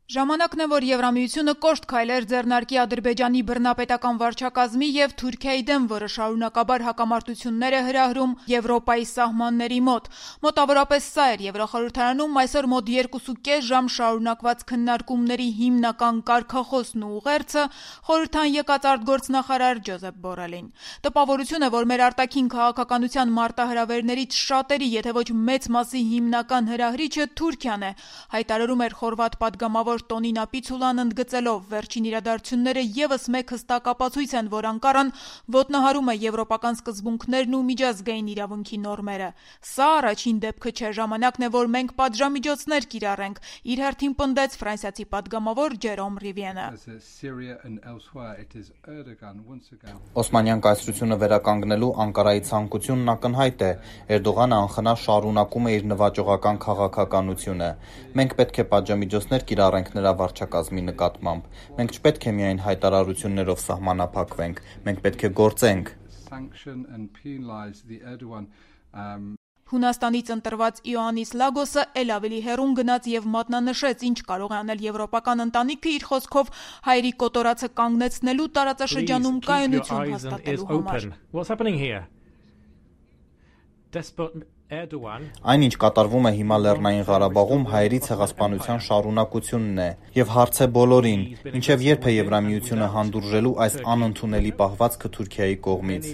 Ժամանակն է, որ Եվրամիությունը կոշտ քայլեր ձեռնարկի Ադրբեջանի բռնապետական վարչակազմի եւ Թուրքիայի դեմ, որը շարունակաբար հակամարտություններ է հրահրում Եվրոպայի սահմանների մոտ։ Մոտավորապես սա էր Եվրոխորհրդարանում այսօր մոտ 2.5 ժամ շարունակված քննարկումների հիմնական կարգախոսն ու ուղերձը խորհրդան եկած արտգործնախարար Ջոզեփ Բորելին։ Տպավորություն է, որ մեր արտաքին քաղաքականության մարտահրավերներից շատերի, եթե ոչ մեծ մասի հիմնական հրահրիչը Թուրքիան է, հայտարարում էր խորվաթ падգամավոր Տոնինա Պիցուլան ընդգծելով վերջին իրադարձությունները եւս մեկ հստակ ապացույց են, որ Անկարան ոտնահարում է եվրոպական սկզբունքներն ու միջազգային իրավունքի նորմերը։ Սա առաջին դեպքը չէ, ժամանակն է, որ մենք պատժամիջոցներ կիրառենք, իր հերթին պնդեց ֆրանսիացի падգամավոր Ջերոմ Ռիվիենը։ Օսմանյան կայսրությունը վերականգնելու Անկարայի ցանկությունն ակնհայտ է։ Էրդողանը անխնա շարունակում է իր նվաճողական քաղաքականությունը։ Մենք պետք է պատժամիջոցներ կիրառենք նրա վարչակազմի նկատմամբ։ Մենք չպետք է միայն հայտարարություններով սահմանափակվենք, մենք պետք է գործենք։ Հունաստանից ընտրված Իոաննիս Լագոսը էլ ավելի հեռուն գնաց եւ մատնանշեց, ինչ կարող է անել եվրոպական ընտանիքը իր խոսքով հայերի կոտորածը կանգնեցնելու տարածաշրջանում կայունություն հաստատելու համար։ Այն, ինչ կատարվում է հիմա Լեռնային Ղարաբաղում, հայերի ցեղասպանության շարունակությունն է, եւ հարց է բոլորին, մինչեւ երբ է Եվրամիությունը հանդուրժելու այս անընդունելի պահվածքը Թուրքիայի կողմից։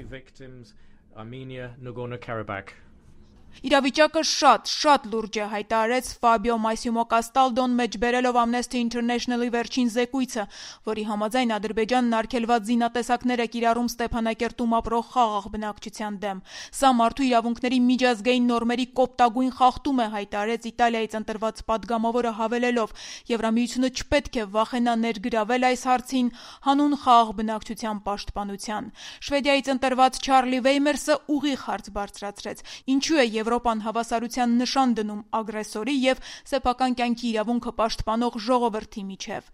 Իրավիճակը շատ լուրջ է, հայտարարեց Ֆաբիո Մասիմո Կաստալդոն, մեջբերելով Amnesty International-ի վերջին զեկույցը, որի համաձայն Ադրբեջանն արգելված զինատեսակներ է կիրառում Ստեփանակերտում ապրող խաղաղ բնակչության դեմ։ Սա մարդու իրավունքների միջազգային նորմերի կոպտագույն խախտում է, հայտարարեց Իտալիայից ընտրված падգամավորը, հավելելով. Եվրամիությունը չպետք է վախենա ներգրավել այս հարցին հանուն խաղաղ բնակչության պաշտպանության։ Շվեդիայից ընտրված Չարլի Վեյմերսը ուղիղ հարց բարձրացրեց. Ինչու է Եվրոպան հավասարության նշան դնում ագրեսորի եւ սեփական կյանքի իրավունքը պաշտպանող ժողովրդի միջև։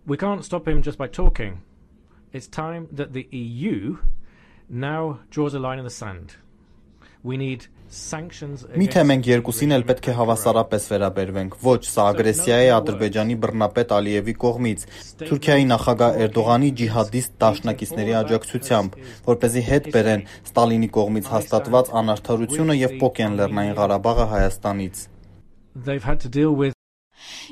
We can't stop him just by talking. It's time that the EU now draws a line in the sand. We need sanctions. Միթե մենք երկուսին էլ պետք է հավասարապես վերաբերվենք։ Ոչ, սա ագրեսիա է Ադրբեջանի բռնապետ Ալիևի կողմից, Թուրքիայի նախագահ Էրդողանի ջիհադիստ դաշնակիցների աջակցությամբ, որպեսզի հետ բերեն Ստալինի կողմից հաստատված անարդարությունը եւ փոկեն Լեռնային Ղարաբաղը Հայաստանից։ They've had to deal with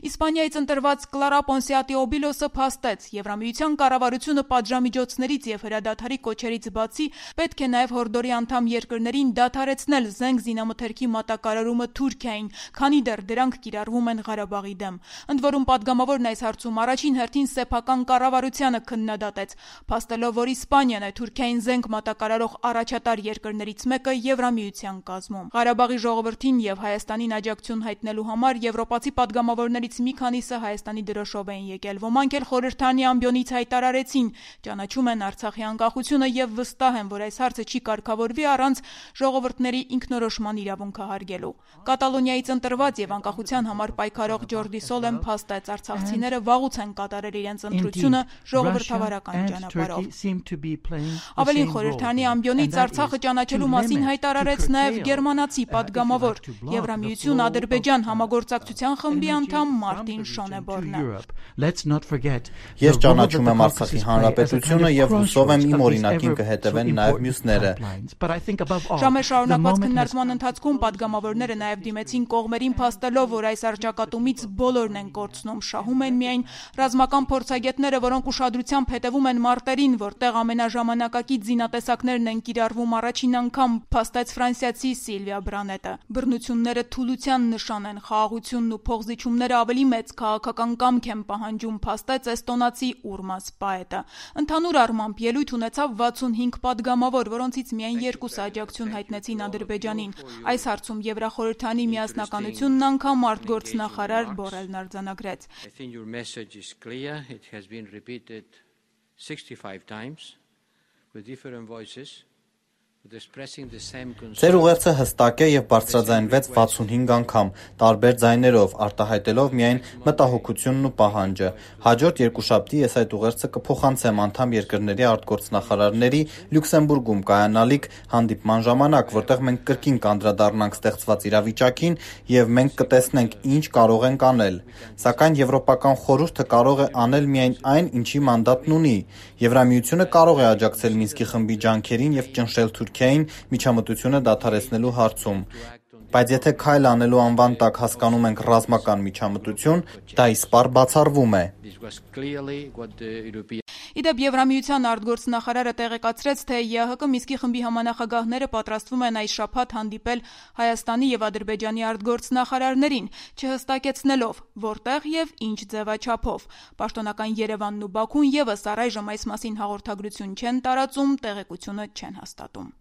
Իսպանիայից ընտրված Կլարա Պոնսիատիոբիլոսը փաստեց. Եվրամիության կառավարությունը պատժամիջոցներից եւ հրադադարի կոչերից բացի պետք է նաեւ հորդորի անդամ երկրներին դադարեցնել զենք զինամթերքի մատակարարումը Թուրքիային, քանի դեռ դրանք կիրառվում են Ղարաբաղի դեմ։ Ընդ որում падգամավորն այս հարցում առաջին հերթին սեփական կառավարությանը քննադատեց, փաստելով, որ Իսպանիան է Թուրքիային զենք մատակարարող առաջատար երկրներից մեկը Եվրամիության կազմում։ Ղարաբաղի ժողովրդին եւ Հայաստանին աջակցություն հայտնելու համար եվրոպացի падգամավորներից մի քանիսը Հայաստանի դրոշով էին եկել, ոմանք էլ խորհրդանի ամբիոնից հայտարարեցին, ճանաչում են Արցախի անկախությունը եւ վստահ են, որ այս հարցը չի կարգավորվի առանց ժողովուրդների ինքնորոշման իրավունքը հարգելու։ Կատալոնիայից ընտրված եւ անկախության համար պայքարող Ջորդի Սոլեն փաստեց, արցախցիները վաղուց են կատարել իրենց ընտրությունը ժողովրդավարական ճանապարհով։ Ավելին, խորհրդանի ամբիոնից Արցախը ճանաչելու մասին հայտարարեց նաեւ գերմանացի падգամավոր Եվրամիություն Ադրբեջան համագործակցության խմբի անդամ Մարտին Շոնեբորնը։ Ես ճանաչում եմ Արցախի հանրապետությունը եւ հուսով եմ իմ օրինակին կհետևեն նաեւ մյուսները։ Ժամեր շարունակված քննարկման ընթացքում падգամավորները նաեւ դիմեցին կողմերին, փաստելով, որ այս արճակատումից բոլորն են կորցնում, շահում են միայն ռազմական փորձագետները, որոնք ուշադրությամբ հետևում են մարտերին, որտեղ ամենաժամանակակից զինատեսակներն են կիրառվում առաջին անգամ, փաստեց ֆրանսիացի Սիլվիա Բրանետը։ Բռնությունները թուլության նշան են, խաղաղությունն ու փողզիչումները ավելի մեծ քաղաքական կամք են պահանջում, փաստեց էստոնացի Ուրմաս Պաետը։ Ընդհանուր առմամբ ելույթ ունեցավ 65 падգամավոր, որոնցից միայն 2-ը աջակցություն հայտնեցին Ադրբեջանին։ Այս հարցում Եվրախորհրդանի միասնականությունն անգամ արտգործնախարար Բորելն արձանագրեց։ 65 times with different voices, Ձեր ուղերձը հստակ է եւ բարձրաձայնվեց 65 անգամ, տարբեր ձայներով, արտահայտելով միայն մտահոգությունն ու պահանջը։ Հաջորդ երկուշաբթի ես այդ ուղերձը կփոխանցեմ անդամ երկրների արտգործնախարարների Լյուքսեմբուրգում կայանալիք հանդիպման ժամանակ, որտեղ մենք կրկին կանդրադառնանք ստեղծված իրավիճակին եւ մենք կտեսնենք ինչ կարող ենք անել։ Սակայն Եվրոպական խորհուրդը կարող է անել միայն այն, ինչի մանդատն ունի։ Եվրամիությունը կարող է աջակցել Մինսկի խմբի ջանքերին եւ ճնշել Թուրքիային միջամտությունը դադարեցնելու հարցում։ Բայց եթե քայլ անելու անվան տակ հասկանում ենք ռազմական միջամտություն, դա իսպառ բացառվում է։ Իդեպ Եվրամիության արտգործնախարարը տեղեկացրեց, թե ԵԱՀԿ Մինսկի խմբի համանախագահները պատրաստվում են այս շաբաթ հանդիպել Հայաստանի եւ Ադրբեջանի արտգործնախարարներին, չհստակեցնելով որտեղ եւ ինչ ձևաչափով։ Պաշտոնական Երևանն ու Բաքուն եւս առայժմ այս մասին հաղորդագրություն չեն տարածում, տեղեկությունը չեն հաստատում։